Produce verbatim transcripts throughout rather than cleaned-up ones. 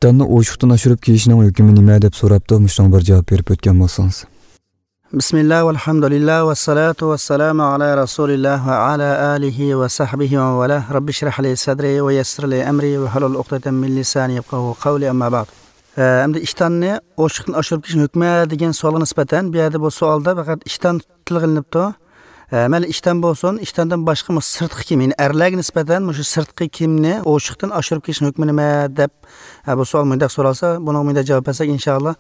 ئىشتاننى ئوشۇقتىن ئاشۇرۇپ كىيىشنىڭ ھۆكمى نېمە دەپ سوراپتۇ، مۇشۇنىڭغا بىر جاۋاب بېرىپ ئۆتكەن بولسىڭىز. بىسمىللا، ۋەلھەمدۇلىللا، ۋەسسالاتۇ ۋەسسالامۇ ئالا رەسۇلىللا ۋە ئالا ئالىھى ۋە سەھبىھى ۋە ۋالا. رەببىشرەھلى سەدرى ۋە يەسسىرلى ئەمرى ۋەھلۇل ئۇقدەتەن مىن لىسانى يەپقەھۇ قەۋلى، ئەمما بەئد. ئە، ئەمدى ئىشتاننى ئوشۇقتىن ئاشۇرۇپ كىيىشنىڭ ھۆكمى دېگەن سوئالغا نىسبەتەن، بۇ يەردە بۇ سوئالدا پەقەت ئىشتان تىلغا ئېلىنىپتۇ. ئە، مەيلى ئىشتان بولسۇن، ئىشتاندىن باشقا مۇشۇ سىرتقى كىيىم، يەنى ئەرلەرگە نىسبەتەن مۇشۇ سىرتقى كىيىمنى ئوشۇقتىن ئاشۇرۇپ كىيىشنىڭ ھۆكمى نېمە دەپ، ئە، بۇ سوئال مۇنداق سورالسا، بۇنىڭغا مۇنداق جاۋاب بەرسەك، ئىنشائاللا،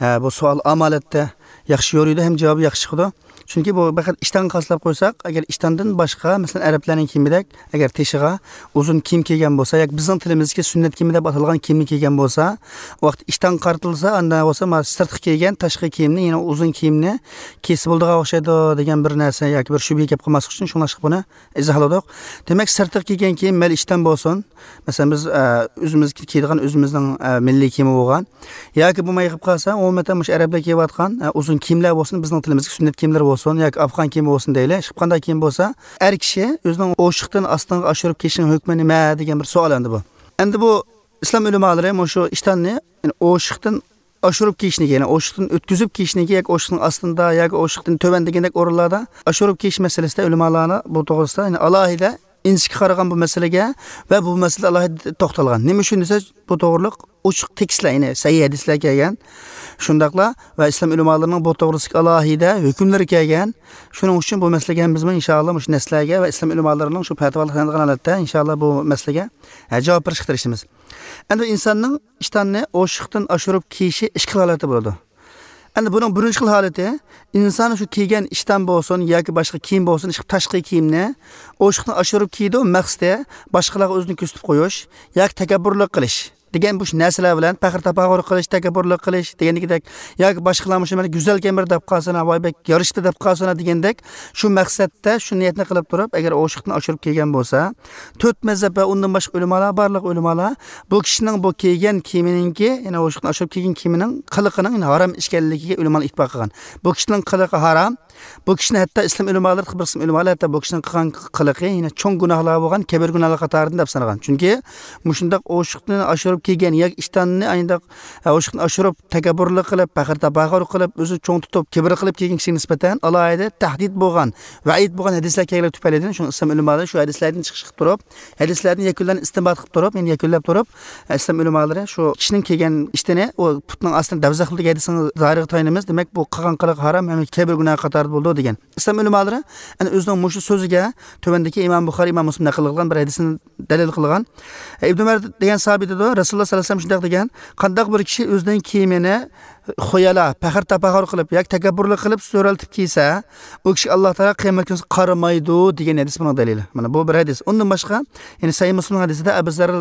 ئە، بۇ سوئال ئامالەتتە ياخشى يورۇيدۇ ھەم جاۋابى ياخشى چىقىدۇ. چۈنكى بۇ پەقەت ئىشتانغا خاسلاپ قويساق، ئەگەر ئىشتاندىن باشقا، مەسىلەن، ئەرەبلەرنىڭ كىيىمىدەك، ئەگەر تېشىغا ئۇزۇن كىيىم كىيگەن بولسا ياكى بىزنىڭ تىلىمىزدىكى سۈننەت كىيىمى دەپ ئاتالغان كىيىمنى كىيگەن بولسا، ئۇ ۋاقىت ئىشتانغا قارىتىلسا، ئاندىن بولسا مانا سىرتقا كىيگەن تاشقى كىيىمنى، يەنى ئۇزۇن كىيىمنى كىيسە بولىدىغان ئوخشايدۇ دېگەن بىر نەرسە ياكى بىر شۈبھە كەپ قالماسلىق ئۈچۈن شۇڭلاشقا بۇنى ئىزاھلىدۇق. دېمەك، سىرتقا كىيگەن كىيىم مەيلى ئىشتان بولسۇن، مەسىلەن، بىز، ئە، ئۆزىمىز كىيىدىغان ئۆزىمىزنىڭ، ئە، مىللىي كىيىمى بولغان ياكى بولماي قېلىپ قالسا، ئومۇمەن مۇشۇ ئەرەبلەر كىيىۋاتقان، ئە، ئۇزۇن كىيىملەر بولسۇن، بىزنىڭ تىلىمىزدىكى سۈننەت كىيىملىرى بولسۇن ياكى ئافغان كىيىمى بولسۇن دەيلى، ھېچقانداق كىيىم بولسا، ئەر كىشى ئۆزىنىڭ ئوشۇقتىن ئاستىنغا ئاشۇرۇپ كىيىشنىڭ ھۆكمى نېمە دېگەن بىر سوئال ئەمدى بۇ. ئەمدى بۇ ئىسلام ئۆلىمالىرى مۇشۇ ئىشتاننى، يەنى ئوشۇقتىن ئاشۇرۇپ كىيىشنىكى، يەنى ئوشۇقتىن ئۆتكۈزۈپ كىيىشنىكى ياكى ئوشۇقنىڭ ئاستىدا ياكى ئوشۇقتىن تۆۋەن دېگەندەك ئورۇنلاردا ئاشۇرۇپ كىيىش مەسىلىسىدە ئۆلىمالارنىڭ بۇ توغرىسىدا، يەنى ئالاھىدە ئىنچىكە قارىغان بۇ مەسىلىگە ۋە بۇ مەسىلىدە ئالاھىدە توختالغان. نېمە ئۈچۈن دېسە، بۇ توغرىلىق ئوچۇق تېكىستلەر، يەنى سەھىھ ھەدىسلەر كەلگەن. شۇنداقلا ۋە ئىسلام ئۆلىمالىرىنىڭ بۇ توغرىسىدىكى ئالاھىدە ھۆكۈملىرى كەلگەن. شۇنىڭ ئۈچۈن بۇ مەسىلىگە ھەممىمىزمۇ ئىنشائاللا مۇشۇ نەسلەرگە ۋە ئىسلام ئۆلىمالىرىنىڭ شۇ پەتىۋالىرىغا تايىنىدىغان ھالەتتە ئىنشائاللا بۇ مەسىلىگە، ھە، جاۋاب بېرىشكە تىرىشىمىز. ئەمدى ئىنساننىڭ ئىشتاننى ئوشۇقتىن ئاشۇرۇپ كىيىشى ئىككى خىل ھالەتتە بولىدۇ. ئەمدى بۇنىڭ بىرىنچى خىل ھالىتى، ئىنسان شۇ كىيگەن ئىشتان بولسۇن ياكى باشقا كىيىم بولسۇن، ئىش-، تاشقى كىيىمنى ئوشۇقتىن ئاشۇرۇپ كىيىدۇ، مەقسىتى باشقىلارغا ئۆزىنى كۆرسىتىپ قويۇش ياكى تەكەببۇرلۇق قىلىش دېگەن بۇ نەرسىلەر بىلەن پەخىر تاپاخۇر قىلىش، تەكەببۇرلۇق قىلىش دېگەندىكىدەك، ياكى باشقىلار مۇشۇ مەن گۈزەلكەنمىدى دەپ قالسۇن، ۋاي بەك يارىشىپتۇ دەپ قالسۇن دېگەندەك، شۇ مەقسەتتە، شۇ نىيەتنى قىلىپ تۇرۇپ، ئەگەر ئوشۇقتىن ئاشۇرۇپ كىيگەن بولسا، تۆت مەزھەپ ۋە ئۇندىن باشقا ئۆلىمالار، بارلىق ئۆلىمالار بۇ كىشىنىڭ بۇ كىيگەن كىيىمىنىڭكى، يەنى ئوشۇقتىن ئاشۇرۇپ كىيگەن كىيىمىنىڭ قىلىقىنىڭ، يەنى ھارام ئىكەنلىكىگە ئۆلىمالار ئېتىبار قىلغان. بۇ كىشىنىڭ قىلىقى ھارام. بۇ كىشىنى ھەتتا ئىسلام ئۆلىمالىرى، بىر قىسىم ئۆلىمالار ھەتتا بۇ كىشىنىڭ قىلغان قىلىقى يەنە چوڭ گۇناھلار بولغان، كەبىر گۇناھلار قاتارىدىن دەپ سانىغان. چۈنكى مۇشۇنداق ئوشۇقتىن ئاشۇرۇپ كىيگەن ياكى ئىشتاننى ئاينداق، ئوشۇقتىن ئاشۇرۇپ تەكەببۇرلۇق قىلىپ، پەخىر تاپاخۇر قىلىپ، ئۆزىنى چوڭ تۇتۇپ، كىبىر قىلىپ كىيگەن كىشىگە نىسبەتەن ئالاھىدە تەھدىت بولغان، ۋەئىد بولغان ھەدىسلەر كەلگەنلىكى تۈپەيلىدىن، شۇڭا ئىسلام ئۆلىمالىرى شۇ ھەدىسلەردىن چىقىش قىلىپ تۇرۇپ، ھەدىسلەردىن يەكۈنلەرنى ئىستىنبات قىلىپ تۇرۇپ، يەنى يەكۈنلەپ تۇرۇپ، ئىسلام ئۆلىمالىرى شۇ كىشىنىڭ كىيگەن ئىشتىنى ئۇ پۇتنىڭ ئاستىنى دەۋزەخ قىلىدىغان ھەدىسنىڭ زاھىرىغا تايىنىمىز. دېمەك، بۇ قىلغان قىلىقى ھارام ھەم كەبىر گۇناھ قاتارىدا بولىدۇ دېگەن. ئىسلام ئۆلىمالىرى ئەنە ئۆزىنىڭ مۇشۇ سۆزىگە تۆۋەندىكى ئىمام بۇخارىي، ئىمام مۇسلىم نەقىل قىلغان بىر ھەدىسنى دەلىل قىلغان. ئىبن ئۆمەر دېگەن ساھابى دەيدۇ، رەسۇلۇللا سەللەللاھۇ ئەلەيھى ۋەسەللەم شۇنداق دېگەن، قانداق بىر كىشى ئۆزىنىڭ كىيىمىنى خۇيالا، پەخىر تاپاخۇر قىلىپ ياكى تەكەببۇرلۇق قىلىپ سۆرەلتىپ كىيسە، ئۇ كىشىگە ئاللا تائالا قىيامەت كۈنى قارىمايدۇ دېگەن ھەدىس بۇنىڭ دەلىلى. مانا بۇ بىر ھەدىس. ئۇندىن باشقا، يەنى سەھىھ مۇسلىمنىڭ ھەدىسىدە ئەبۇ زەر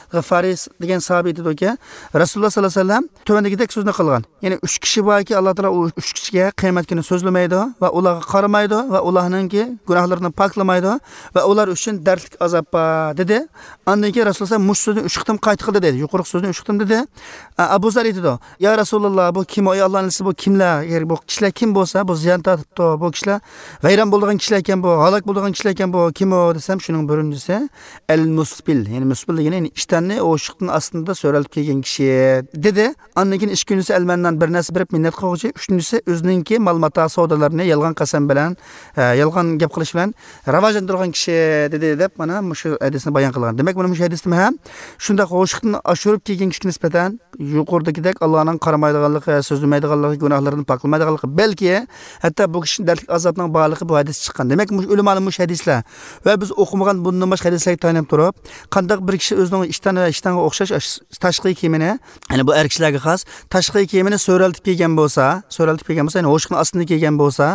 غىفارىي دېگەن ساھابى ئېيتىدۇكى، رەسۇلۇللا سەللەللاھۇ ئەلەيھى ۋەسەللەم تۆۋەندىكىدەك سۆزنى قىلغان. يەنى ئۈچ كىشى باركى، ئاللا تائالا ئۇ ئۈچ كىشىگە قىيامەت كۈنى سۆزلىمەيدۇ ۋە ئۇلارغا قارىمايدۇ ۋە ئۇلارنىڭكى گۇناھلىرىنى پاكلىمايدۇ ۋە ئۇلار ئۈچۈن دەردلىك ئازاب بار، دېدى. ئاندىن كېيىن رەسۇلۇللا مۇشۇ سۆزنى ئۈچ قېتىم قايتا قىلدى، دېدى. يۇقىرىقى سۆزنى ئۈچ قېتىم دېدى. ئە، ئەبۇ زەر ئېيتىدۇ، يا رەسۇلاللا، بۇ كىم ئۇ؟ ئەي ئاللانىڭ ئەلچىسى، بۇ كىملەر؟ يەنى بۇ كىشىلەر كىم بولسا، بۇ زىيان تارتىپتۇ، بۇ كىشىلەر ۋەيران بولىدىغان كىشىلەر ئىكەن، بۇ ھالاك بولىدىغان كىشىلەر ئىكەن، بۇ كىم ئۇ دېسەم، شۇنىڭ بىرىنچىسى ئەل مۇسبىل، يەنى مۇسبىل دېگىنى، يەنى ئىشتاننى ئوشۇقتىن ئاستىدا سۆرەلتىپ كىيگەن كىشى، دېدى. ئاندىن كېيىن ئىككىنچىسى ئەلمەننان، بىر نەرسە بېرىپ مىننەت قىلغۇچى، ئۈچىنچىسى ئۆزىنىڭكى مال ماتا سودىلىرىنى يالغان قەسەم بىلەن، ئە، يالغان گەپ قىلىش بىلەن راۋاجلاندۇرغان كىشى، دېدى، دەپ مانا مۇشۇ ھەدىسنى بايان قىلغان. دېمەك، مانا مۇشۇ ھەدىستىمۇ ھەم شۇنداق ئوشۇقتىن ئاشۇرۇپ كىيگەن كىشىگە نىسبەتەن يۇقىرىدىكىدەك ئاللانىڭ قارىمايدىغانلىقى، سۆزلىمەيدىغانلىقى، گۇناھلىرىدىن پاكلىمايدىغانلىقى، بەلكى ھەتتا بۇ كىشىنى دەردلىك ئازابنىڭ بارلىقى بۇ ھەدىستىن چىققان. دېمەك، مۇشۇ ئۆلىمانىڭ مۇشۇ ھەدىسلەر ۋە بىز ئوقۇمىغان بۇندىن باشقا ھەدىسلەرگە تايىنىپ تۇرۇپ، قانداق بىر كىشى ئۆزىنىڭ ئىشتان ۋە ئىشتانغا ئوخشاش ئاش-، تاشقى كىيىمىنى، يەنى بۇ ئەر كىشىلەرگە خاس، تاشقى كىيىمىنى سۆرەلتىپ كىيگەن بولسا، سۆرەلتىپ كىيگەن بولسا، يەنى ھوشۇقنىڭ ئاستىدا كىيگەن بولسا،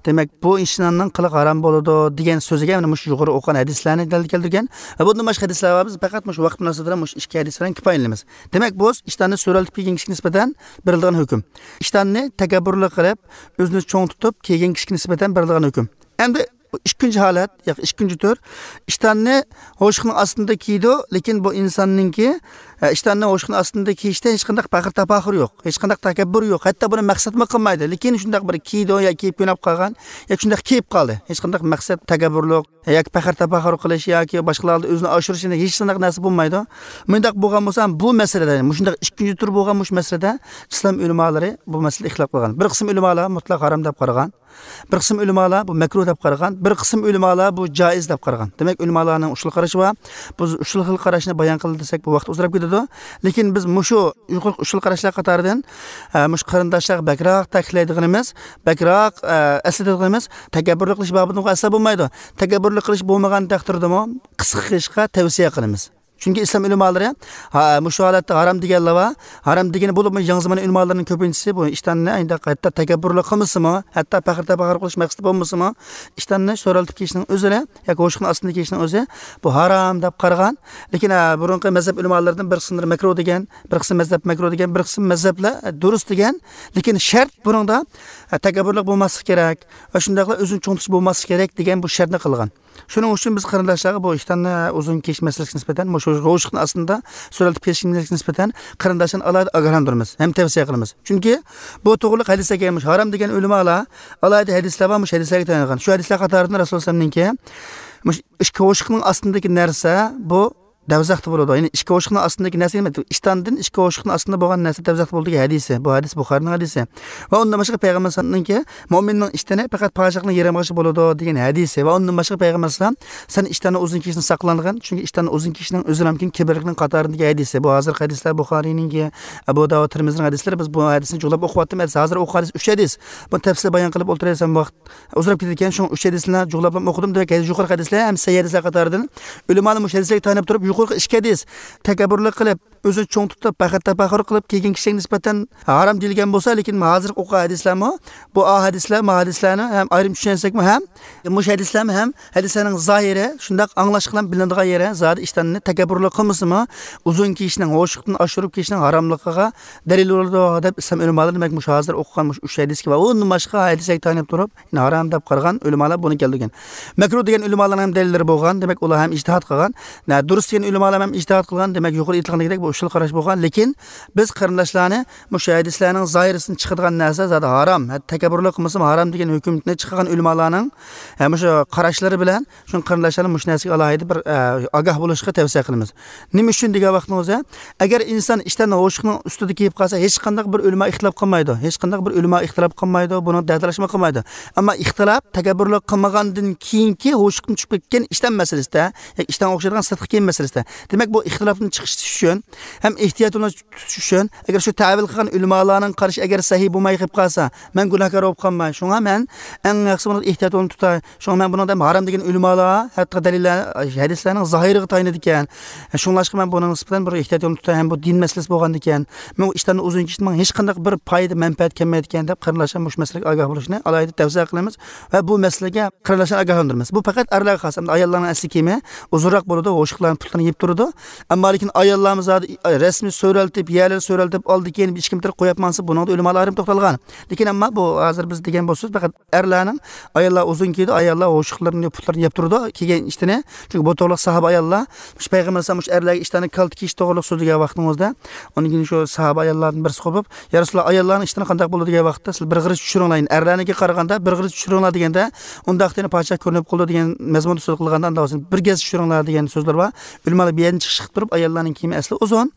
دېمەك، بۇ ئىشتاننىڭ قىلىقى ھارام بولىدۇ، دېگەن سۆزىگە مانا مۇشۇ يۇقىرى ئوقۇغان ھەدىسلەرنى دەلىل كەلتۈرگەن. ۋە بۇندىن باشقا ھەدىسلەر بار، بىز پەقەت مۇشۇ ۋاقىت مۇناسىۋىتى بىلەن مۇشۇ ئىككى ھەدىس بىلەن كۇپايىلىنىمىز. دېمەك، بۇ ئىشتاننى سۆرەلتىپ كىيگەن كىشىگە نىسبەتەن بېرىلىدىغان ھۆكۈم. ئىشتاننى تەكەببۇرلۇق قىلىپ، ئۆزىنى چوڭ تۇتۇپ كىيگەن كىشىگە نىسبەتەن بېرىلىدىغان ھۆكۈم. ئەمدى ئىككىنچى ھالەت، ياكى ئىككىنچى تۈر، ئىشتاننى ھوشۇقنىڭ ئاستىدا كىيىدۇ، لېكىن بۇ ئىنساننىڭكى ئىشتاننى ھوشۇقنىڭ ئاستىدا كىيىشتە ھېچقانداق پەخىر تەپاخۇر يوق، ھېچقانداق تەكەببۇر يوق، ھەتتا بۇنى مەقسەتمۇ قىلمايدۇ. لېكىن شۇنداق بىر كىيدۇ يا كىيىپ كۆنۈپ قالغان، ياكى شۇنداق كىيىپ قالدى. ھېچقانداق مەقسەت، تەكەببۇرلۇق ياكى پەخىر تەپاخۇر قىلىش ياكى باشقىلاردا ئۆزىنى ئاشۇرۇش، ھېچقانداق نەرسە بولمايدۇ. مۇنداق بولغان بولسا، بۇ مەسىلىدە، مۇشۇنداق ئىككىنچى تۈر بولغان مۇشۇ مەسىلىدە ئىسلام ئۆلىمالىرى بۇ مەسىلىدە ئىختىلاپ قىلغان. بىر قىسىم ئۆلىمالار مۇتلەق ھارام دەپ قارىغان. بىر قىسىم ئۆلىمالار بۇ مەكرۇھ دەپ قارىغان، بىر قىسىم ئۆلىمالار بۇ جائىز دەپ قارىغان. دېمەك، ئۆلىمالارنىڭ ئۈچ خىل قارىشى بار. بۇ ئۈچ خىل قاراشنى بايان قىلدى دېسەك، بۇ ۋاقىت ئۇزىراپ كېتىدۇ. لېكىن بىز مۇشۇ يۇقىرىقى ئۈچ خىل قاراشلار قاتارىدىن، ئە، مۇشۇ قېرىنداشلارغا بەكرەك تەكىتلەيدىغىنىمىز، بەكرەك، ئە، ئەسلىتىدىغىنىمىز، تەكەببۇرلۇق قىلىش بابىتىدىغۇ ئەسلا بولمايدۇ. تەكەببۇرلۇق قىلىش بولمىغان تەقدىردىمۇ قىسقا قىلىشقا تەۋسىيە قىلىمىز. چۈنكى ئىسلام ئۆلىمالىرى، ھا، مۇشۇ ھالەتتە ھارام دېگەنلەر بار. ھارام دېگىنى بولۇپمۇ يېڭى زامان ئۆلىمالىرىنىڭ كۆپىنچىسى بۇ ئىشتاننى ئەينى ھەتتا تەكەببۇرلۇق قىلمىسىمۇ، ھەتتا پەخىر تەپەخۇر قىلىش مەقسىتى بولمىسىمۇ، ئىشتاننى سۆرەلتىپ كىيىشنىڭ ئۆزىنى ياكى ھوشۇقنىڭ ئاستىدا كىيىشنىڭ ئۆزى بۇ ھارام دەپ قارىغان. لېكىن، ھە، بۇرۇنقى مەزھەپ ئۆلىمالىرىدىن بىر قىسىملىرى مەكرۇھ دېگەن، بىر قىسىم مەزھەپ مەكرۇھ دېگەن، بىر قىسىم مەزھەپلەر دۇرۇس دېگەن. لېكىن شەرت بۇنىڭدا، ھە، تەكەببۇرلۇق بولماسلىقى كېرەك ۋە شۇنداقلا ئۆزىنى چوڭ تۇتۇش بولماسلىقى كېرەك دېگەن بۇ شەرتنى قىلغان. شۇنىڭ ئۈچۈن بىز قېرىنداشلارغا بۇ ئىشتاننى ئۇزۇن كىيىش مەسىلىسىگە نىسبەتەن، مۇشۇ ھوشۇقنىڭ ئاستىدا سۆرەلتىپ كىيىش مەسىلىسىگە نىسبەتەن قېرىنداشلارنى ئالاھىدە ئاگاھلاندۇرىمىز ھەم تەۋسىيە قىلىمىز. چۈنكى بۇ توغرىلىق ھەدىسلەر كەلگەن، مۇشۇ ھارام دېگەن ئۆلىمالار ئالاھىدە ھەدىسلەر بار، مۇشۇ ھەدىسلەرگە تايانغان. شۇ ھەدىسلەر قاتارىدىن رەسۇلۇللا ئەلەيھىسسالامنىڭكى، مۇشۇ ئىككى ھوشۇقنىڭ ئاستىدىكى نەرسە بۇ دەۋزەختە بولىدۇ. يەنى ئىككى ھوشۇقنىڭ ئاستىدىكى نەرسە، ئىشتاندىن ئىككى ھوشۇقنىڭ ئاستىدا بولغان نەرسە دەۋزەختە بولىدۇ دېگەن ھەدىسى. بۇ ھەدىس بۇخارىنىڭ ھەدىسى. ۋە ئۇندىن باشقا پەيغەمبەر ئەلەيھىسسالامنىڭكى، مۆمىننىڭ ئىشتىنى پەقەت پاچاقنىڭ يېرىم قىلىشى بولىدۇ دېگەن ھەدىسى. ۋە ئۇندىن باشقا پەيغەمبەر ئەلەيھىسسالام، سەن ئىشتاننى ئۇزۇن كىيىشنى ساقلانغىن، چۈنكى ئىشتاننى ئۇزۇن كىيىشنىڭ ئۆزى ھەمكىن كىبىرلىكنىڭ قاتارىدىكى ھەدىسى. بۇ ھازىرقى ھەدىسلەر بۇخارىنىڭكى، ئەبۇ داۋۇد، تىرمىزىنىڭ ھەدىسلىرى. بىز بۇ ھەدىسنى جۇغلاپ ئوقۇۋاتىمىز. ھەدىس، ھازىر ئوقۇغان ھەدىس ئۈچ ھەدىس. بۇنى تەپسىلىي بايان قىلىپ ئولتۇرسام ۋاقىت ئۇزىراپ كېتىدىكەن، شۇڭا ئۈچ ھەدىسنى جۇغلاپلا ئوقۇدۇم. دېمەك، يۇقىرىقى ھەدىسلەر ھەم سەھىھ ھەدىسلەر قاتارىدىن ئۆلىمالار مۇشۇ ھەدىسلەرگە تايىنىپ تۇرۇپ، يۇقىرىقى ئىككى ھەدىس، تەكەببۇرلۇق قىلىپ، ئۆزىنى چوڭ تۇتۇپ، پەخىر تەپەخۇر قىلىپ كىيگەن كىشىگە نىسبەتەن ھارام دېيىلگەن بولسا، لېكىن ھازىرقى ئوقۇغان ھەدىسلەرمۇ، بۇ ئا ھەدىسلەر، ما ھەدىسلەرنى ھەم ئايرىم چۈشەنسەكمۇ ھەم، مۇشۇ ھەدىسلەرمۇ ھەم ھەدىسلەرنىڭ زاھىرى، شۇنداق ئاڭلاشقا بىلىنىدىغان يېرى، زادى ئىشتاننى تەكەببۇرلۇق قىلمىسىمۇ، ئۇزۇن كىيىشنىڭ، ھوشۇقتىن ئاشۇرۇپ كىيىشنىڭ ھاراملىقىغا دەلىل بولىدۇ، دەپ ئىسلام ئۆلىمالىرى، دېمەك، مۇشۇ ھازىر ئوقۇغان مۇشۇ ئۈچ ھەدىسكە ۋە ئۇندىن باشقا ھەدىسلەرگە تايىنىپ تۇرۇپ، يەنى ھارام دەپ قارىغان ئۆلىمالار بۇنى كەلتۈرگەن. مەكرۇھ دېگەن ئۆلىمالارنىڭ ھەم دەلىللىرى بولغان، دېمەك، ئۇلار ھەم ئىجتىھات قىلغان. نە، دۇرۇس دېگەن ئۆلىمالار ھەم ئىجتىھات قىلغان، دېمەك، يۇقىرى ئېيتىلغاندەك بۇ ئۈچ خىل قاراش بولغان. لېكىن بىز قېرىنداشلارنى مۇشۇ ھەدىسلەرنىڭ زاھىرىسىدىن چىقىدىغان نەرسە زادى ھارام، ھەتتا تەكەببۇرلۇق قىلمىسىمۇ ھارام دېگەن ھۆكۈمنى چىقارغان ئۆلىمالارنىڭ، ھە، مۇشۇ قاراشلىرى بىلەن شۇڭا قېرىنداشلارنى مۇشۇ نەرسىگە ئالاھىدە بىر، ئە، ئاگاھ بولۇشقا تەۋسىيە قىلىمىز. نېمە ئۈچۈن دېگەن ۋاقتىڭىزدا، ئەگەر ئىنسان ئىشتاننى ھوشۇقنىڭ ئۈستىدە كىيىپ قالسا، ھېچقانداق بىر ئۆلىما ئىختىلاپ قىلمايدۇ. ھېچقانداق بىر ئۆلىما ئىختىلاپ قىلمايدۇ، بۇنىڭ دەتالاشمۇ قىلمايدۇ. ئەمما ئىختىلاپ تەكەببۇرلۇق قىلمىغاندىن كېيىنكى ھوشۇقتىن چۈشۈپ كەتكەن ئىشتان مەسىلىسىدە، ياكى ئىشتانغا ئوخشايدىغان سىرتقى كىيىم مەسىلىسىدە. دېمەك، بۇ ئىختىلاپتىن چىقىش ئۈچۈن ھەم ئېھتىيات بىلەن تۇتۇش ئۈچۈن، ئەگەر شۇ تەۋىل قىلغان ئۆلىمالارنىڭ قارىشى ئەگەر سەھىھ بولماي قېلىپ قالسا، مەن گۇناھكار بولۇپ قالماي. شۇڭا مەن ئەڭ ياخشىسى بۇنى ئېھتىيات بىلەن تۇتاي. شۇڭا مەن بۇنىڭدا ھارام دېگەن ئۆلىمالار، ھەتتا دەلىللەر، ھەدىسلەرنىڭ زاھىرىغا تايىنىدىكەن. شۇڭلاشقا مەن بۇنىڭ نىسبەتەن بىر ئېھتىيات يولىنى تۇتاي ھەم بۇ دىن مەسىلىسى بولغاندىكەن، مەن ئىشتاننى ئۇزۇن كىيىشتىن ماڭا ھېچقانداق بىر پايدا، مەنپەئەت كەلمەيدىكەن دەپ، قېرىنداشلار مۇشۇ مەسىلىگە ئاگاھ بولۇشنى ئالاھىدە تەۋسىيە قىلىمىز ۋە بۇ مەسىلىگە قېرىنداشلارنى ئاگاھلاندۇرىمىز. بۇ پەقەت ئەرلەرگە خاس، ئەمدى ئاياللارنىڭ ئەسلى كىيىمى ئۇزۇنراق بولىدۇ، ھوشۇقلارنىڭ پۇتلىرىنى يېپىپ تۇرىدۇ. ئەمما لېكىن ئاياللارمۇ زادى رەسمىي سۆرەلتىپ، يەرلەرنى سۆرەلتىپ، ئالدى كېيىن ئىچكىرىمتىرىپ قويۇپ ماڭسا، بۇنىڭدا ئۆلىمالار ئايرىم توختالغان. لېكىن ئەمما بۇ ھازىر بىز دېگەن بولسىمىز، پەقەت ئەرلەرنىڭ، ئاياللار ئۇزۇن كىيىدۇ، ئاياللار ھوشۇقلىرىنى، پۇتلىرىنى يەپ تۇرىدۇ، كىيگەن ئىشتىنى. چۈنكى بۇ توغرىلىق ساھابە ئاياللار، مۇشۇ پەيغەمبەر ئەلەيھىسسالام مۇشۇ ئەرلەرگە ئىشتاننى كالتە كىيىش توغرىلىق سۆزلىگەن ۋاقتىڭىزدا، ئۇنىڭ كېيىن شۇ ساھابە ئاياللاردىن بىرسى قوپۇپ، يا رەسۇلاللا، ئاياللارنىڭ ئىشتىنى قانداق بولىدۇ دېگەن ۋاقىتتا، سىلەر بىر غېرىز چۈشۈرۈڭلار، يەنى ئەرلەرنىڭكىگە قارىغاندا بىر غېرىز چۈشۈرۈڭلار دېگەندە، ئۇنداقتا يەنە پاچاق كۆرۈنۈپ قالىدۇ دېگەن مەزمۇندا سۆز قىلغاندا، ئاندىن بىر گەز چۈشۈرۈڭلار دېگەن سۆزلەر بار. ئۆلىمالار بۇ يەردىن چىقىش قىلىپ تۇرۇپ، ئاياللارنىڭ كىيىمى ئەسلى ئۇزۇن،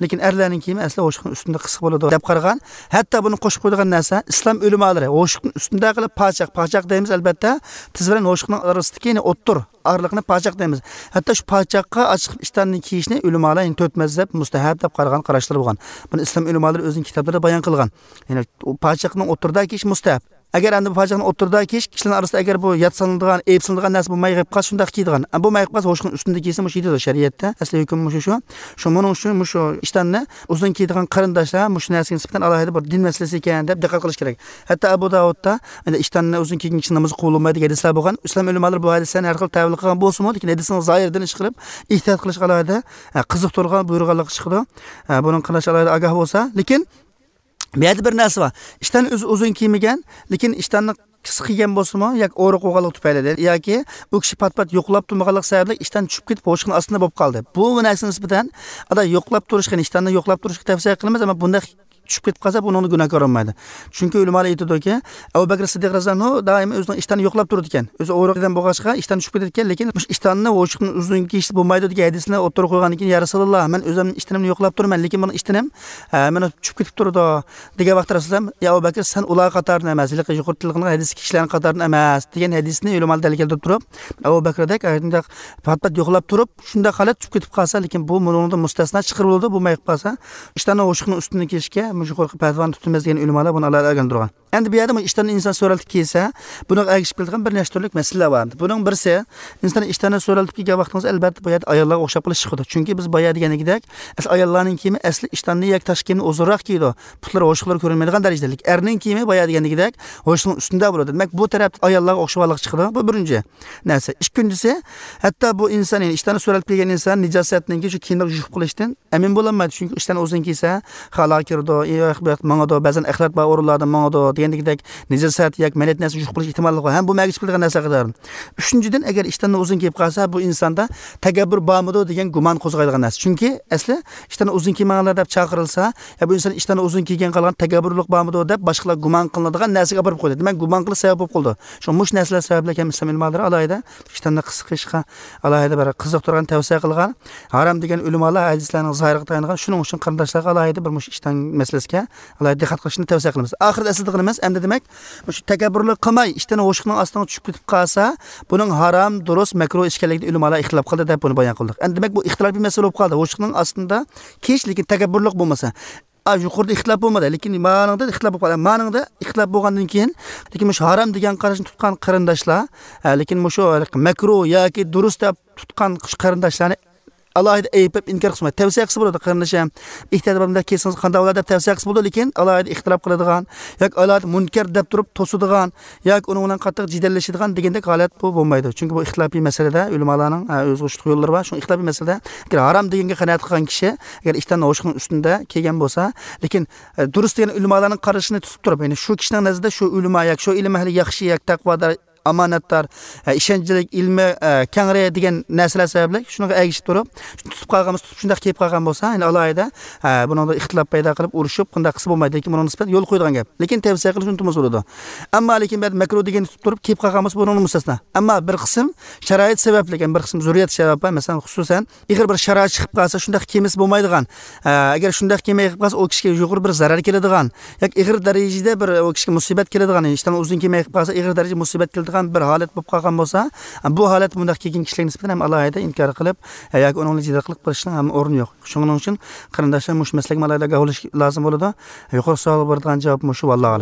لېكىن ئەرلەرنىڭ كىيىمى ئەسلى ھوشۇقنىڭ ئۈستىدە قىسقا بولىدۇ دەپ قارىغان. ھەتتا بۇنى قوشۇپ قويىدىغان نەرسە، ئىسلام ئۆلىمالىرى ھوشۇقنىڭ ئۈستىدە قىلىپ پاچاق، پاچاق دەيمىز ئەلبەتتە، تىز بىلەن ھوشۇقنىڭ ئارىسىدىكى، يەنى ئوتتۇر ئارىلىقنى پاچاق دەيمىز. ھەتتا شۇ پاچاققا ئاچىقىپ ئىشتاننى كىيىشنى ئۆلىمالار، يەنى تۆت مەزھەپ مۇستەھەب دەپ قارىغان قاراشلىرى بولغان. بۇنى ئىسلام ئۆلىمالىرى ئۆزىنىڭ كىتابلىرىدا بايان قىلغان. يەنى ئۇ پاچاقنىڭ ئوتتۇرىدا كىيىش مۇستەھەب. ئەگەر ئەمدى بۇ پاچاقنى ئوتتۇرىدا كىيىش، كىشىلەرنىڭ ئارىسىدا ئەگەر بۇ ياتسىنىدىغان، ئەيىبسىنىدىغان نەرسە بولماي قېلىپ قالسا، شۇنداق كىيىدىغان. ئە، بولماي قېلىپ قالسا، ھوشۇقنىڭ ئۈستىدە كىيسە، مۇشۇ يېتىدۇ شەرىئەتتە. ئەسلى ھۆكۈم مۇشۇ شۇ. شۇ، مۇنىڭ ئۈچۈن مۇشۇ ئىشتاننى ئۇزۇن كىيىدىغان قېرىنداشلار مۇشۇ نەرسىگە نىسبەتەن ئالاھىدە بىر دىن مەسىلىسى ئىكەن دەپ دىققەت قىلىش كېرەك. ھەتتا ئەبۇ داۋۇدتا، ئەمدى ئىشتاننى ئۇزۇن كىيگەن كىشى نامىزى قوبۇل بولمايدۇ دېگەن ھەدىسلەر بولغان. ئىسلام ئۆلىمالىرى بۇ ھەدىسلەرنى ھەر خىل تەۋىل قىلغان بولسىمۇ، لېكىن ھەدىسنىڭ زاھىرىدىن ئىش قىلىپ، ئېھتىيات قىلىشقا ئالاھىدە، ئە، قىزىقتۇرغان، بۇيرۇغانلىقى چىقىدۇ. ئە، بۇنىڭ قېرىنداشلار ئالاھىدە ئاگاھ بولسا. لېكىن بۇ يەردە بىر نەرسە بار. ئىشتان ئۆزى ئۇزۇن كىيمىگەن، لېكىن ئىشتاننى قىسقا كىيگەن بولسىمۇ، ياكى ئورۇق بولغانلىقى تۈپەيلىدىن، ياكى ئۇ كىشى پات-پات يوقلاپ تۇرمىغانلىقى سەۋەبلىك ئىشتان چۈشۈپ كېتىپ، ھوشىدىن ئاستا بولۇپ قالدى. بۇ نەرسىگە نىسبەتەن، ئادا يوقلاپ تۇرۇشقا، ئىشتاننى يوقلاپ تۇرۇشقا تەۋسىيە قىلىمىز، ئەمما بۇنداق چۈشۈپ كېتىپ قالسا، بۇنىڭدا گۇناھكار بولمايدۇ. چۈنكى ئۆلىمالار ئېيتىدۇكى، ئەبۇ بەكرى سىددىق رەزىياللاھۇ ئەنھۇ دائىم ئۆزىنىڭ ئىشتانى يوقلاپ تۇرىدىكەن. ئۆزى ئورۇق ئادەم بولغاچقا، ئىشتان چۈشۈپ كېتىدىكەن، لېكىن مۇشۇ ئىشتاننى ھوشۇدىن ئۇزۇن كىيىشتە بولمايدۇ دېگەن ھەدىسنى ئوتتۇرىغا قويغاندىن كېيىن، يا رەسۇلاللا، مەن ئۆزۈمنىڭ ئىشتىنىمنى يوقلاپ تۇرىمەن، لېكىن بۇنىڭ ئىشتىنىم، ئە، مېنىڭ چۈشۈپ كېتىپ تۇرىدۇ، دېگەن ۋاقىتتا رەسۇلاللا، يا ئەبۇ بەكرى، سەن ئۇلار قاتارىدىن ئەمەس، ھېلىقى يۇقىرىدا تىلغا ئېلىنغان ھەدىسكى كىشىلەرنىڭ قاتارىدىن ئەمەس، دېگەن ھەدىسنى ئۆلىمالار دەلىل كەلتۈرۈپ تۇرۇپ، ئەبۇ بەكرىدەك ئاشۇنداق پات-پات يوقلاپ تۇرۇپ، شۇنداق ھالەت چۈشۈپ كېتىپ قالسا، لېكىن بۇ مۇنۇڭدىن مۇستەسنا چىقىرىلىدۇ، بولماي قالسا، ئىشتاننى ھوشۇدىن ئۈستۈن كىيىشكە مۇشۇ يۇقىرىقى پەتىۋانى تۇتىمىز دېگەن ئۆلىمالار بۇنى ئالاھىدە ئۆگەندۈرگەن. ئەمدى بۇ يەردە بۇ ئىشتاننى ئىنسان سۆرەلتىپ كىيسە، بۇنىڭغا ئەگىشىپ كېلىدىغان بىر نەچچە تۈرلۈك مەسىلىلەر بار. بۇنىڭ بىرسى، ئىنسان ئىشتاننى سۆرەلتىپ كىيگەن ۋاقتىڭىز، ئەلۋەتتە، بۇ يەردە ئاياللارغا ئوخشاپ قېلىش چىقىدۇ. چۈنكى بىز بايا دېگەندەك، ئەسلى ئاياللارنىڭ كىيىمى ئەسلى ئىشتاننى ياكى تاش كىيىمنى ئۇزۇنراق كىيىدۇ. پۇتلىرى ھوشلىرى كۆرۈنمەيدىغان دەرىجىدە. لېكىن ئەرنىڭ كىيىمى بايا دېگەندەك ھوشنىڭ ئۈستۈندە بولىدۇ. دېمەك، بۇ تەرەپتە ئاياللارغا ئوخشىغانلىق چىقىدۇ. بۇ بىرىنچى نەرسە. ئىككىنچىسى، ھەتتا بۇ ئىنسان، يەنى ئىشتاننى سۆرەلتىپ كىيگەن ئىنسان نىجاسەتنىڭكى شۇ كىيىملەرگە يۇقۇپ قېلىشتىن ئەمىن بولالمايدۇ. چۈنكى ئىشتان ئۇزۇن كىيسە، خالاغا كىرىدۇ، ئى، ئاياق بۇ ياقتا ماڭىدۇ، بەزەن ئەخلەت بار ئورۇنلاردا ماڭىدۇ دېگەندەكدەك نىجاسەت ياكى مەلەت نەرسە يۇقۇپ قېلىش ئېھتىماللىقى بار. ھەم بۇ مەگىچ بىلگەن نەرسە قاتارىدىن. ئۈچىنچىدىن، ئەگەر ئىشتاننى ئۇزۇن كىيىپ قالسا، بۇ ئىنساندا تەكەببۇر بارمىدۇ دېگەن گۇمان قوزغايدىغان نەرسە. چۈنكى ئەسلى ئىشتاننى ئۇزۇن كىيمەڭلار دەپ چاقىرىلسا، يا بۇ ئىنسان ئىشتاننى ئۇزۇن كىيگەن قالغان تەكەببۇرلۇق بارمىدۇ دەپ باشقىلار گۇمان قىلىنىدىغان نەرسىگە ئاپىرىپ قويىدۇ. دېمەك، گۇمان قىلىش سەۋەب بولۇپ قالىدۇ. شۇڭا مۇشۇ نەرسىلەر سەۋەبلىك ھەم ئىسلام ئۆلىمالىرى ئالاھىدە ئىشتاننى قىسقا قىلىشقا ئالاھىدە بىر قىزىقتۇرغان، تەۋسىيە قىلغان. ھارام دېگەن ئۆلىمالار ھەدىسلەرنىڭ زاھىرىغا تايانغان. شۇنىڭ ئۈچۈن قېرىنداشلارغا ئالاھىدە بىر مۇشۇ ئىشتان مەسىلىسىگە ئالاھىدە دىققەت قىلىشنى تەۋسىيە قىلىمىز. ئاخىرىدا ئەسلىدىغىنىمىز، ئەمدى دېمەك، مۇشۇ تەكەببۇرلۇق قىلماي، ئىشتىن ھوشۇقنىڭ ئاستىغا چۈشۈپ كېتىپ قالسا، بۇنىڭ ھارام، دۇرۇس، مەكرۇھ ئىش ئىكەنلىكىدە ئۆلىمالار ئىختىلاپ قىلدى دەپ بۇنى بايان قىلدۇق. ئەمدى دېمەك، بۇ ئىختىلاپىي مەسىلە بولۇپ قالدى. ھوشۇقنىڭ ئاستىدا كىيىش، لېكىن تەكەببۇرلۇق بولمىسا. ئا، يۇقىرىدا ئىختىلاپ بولمىدى، لېكىن مانىڭدا ئىختىلاپ بولۇپ قالدى. مانىڭدا ئىختىلاپ بولغاندىن كېيىن، لېكىن مۇشۇ ھارام دېگەن قاراشنى تۇتقان قېرىنداشلار، ھە، لېكىن مۇشۇ مەكرۇھ ياكى دۇرۇس دەپ تۇتقان قېرىنداشلارنى ئالاھىدە ئەيىبلەپ ئىنكار قىلسىمايدۇ. تەۋسىيە قىلسا بولىدۇ، قېرىنداشىم، ئېھتىيات بار، مۇنداق كىيسىڭىز قانداق بولار دەپ تەۋسىيە قىلسا بولىدۇ، لېكىن ئالاھىدە ئىختىلاپ قىلىدىغان ياكى ئالاھىدە مۇنكەر دەپ تۇرۇپ توسىدىغان ياكى ئۇنىڭ بىلەن قاتتىق جېدەللىشىدىغان دېگەندەك ھالەت بۇ بولمايدۇ. چۈنكى بۇ ئىختىلاپىي مەسىلىدە ئۆلىمالارنىڭ، ئە، ئۆزىگە ئوخشاش يوللىرى بار. شۇڭا ئىختىلاپىي مەسىلىدە ئەگەر ھارام دېگەنگە قانائەت قىلغان كىشى ئەگەر ئىشتان ھوشۇقنىڭ ئۈستىندە كىيگەن بولسا، لېكىن، ئە، دۇرۇس دېگەن ئۆلىمالارنىڭ قارىشىنى تۇتۇپ تۇرۇپ، يەنى شۇ كىشىنىڭ نەزىرىدە شۇ ئۆلىما ياكى شۇ ئىلىم ئەھلى ياخشى ياكى تەقۋادار، ئامانەتدار، ئە، ئىشەنچلىك، ئىلمى، ئە، كەڭرى دېگەن نەرسىلەر سەۋەبلىك شۇنىڭغا ئەگىشىپ تۇرۇپ، شۇنى تۇتۇپ قالغان بولسا، تۇتۇپ شۇنداق كىيىپ قالغان بولسا، يەنى ئالاھىدە، ئە، بۇنىڭدا ئىختىلاپ پەيدا قىلىپ، ئۇرۇشۇپ، بۇنداق قىلسا بولمايدۇ. لېكىن بۇنىڭغا نىسبەتەن يول قويىدىغان گەپ. لېكىن تەۋسىيە قىلىش ئۇنتۇمىسا بولىدۇ. ئەمما لېكىن بەزىدە مەكرۇھ دېگەننى تۇتۇپ تۇرۇپ كىيىپ قالغان بولسا، بۇنىڭدىن مۇستەسنا. ئەمما بىر قىسىم شارائىت سەۋەبلىك، يەنى بىر قىسىم زۆرۈرىيەت سەۋەبى بار. مەسىلەن، خۇسۇسەن، ئېغىر بىر شارائىت چىقىپ قالسا، شۇنداق كىيمىسە بولمايدىغان. ئە، ئەگەر شۇنداق كىيمەي قېلىپ قالسا، ئۇ كىشىگە يۇقىرى بىر زەرەر كېلىدىغان ياكى ئېغىر دەرىجىدە بىر ئۇ كىشىگە مۇسىبەت كېلىدىغان، ئىشتان ئۇزۇن كىيمەي قېلىپ قالسا، ئېغىر دەرىجىدە مۇسىبەت كېلىدىغان بىر ھالەت بولۇپ قالغان بولسا، بۇ ھالەتتە بۇنداق كىيگەن كىشىلەرگە نىسبەتەن ھەم ئالاھىدە ئىنكار قىلىپ، ئە، ياكى ئۇنىڭ بىلەن جېدەل قىلىپ بېرىشنىڭ ھەم ئورنى يوق. شۇنىڭ ئۈچۈن قېرىنداشلار مۇشۇ مەسىلىگە ئالاھىدە ئاگاھ بولۇش لازىم بولىدۇ. يۇقىرىقى سوئالغا بېرىدىغان جاۋاب مۇشۇ، ۋاللاھۇ ئەلەم.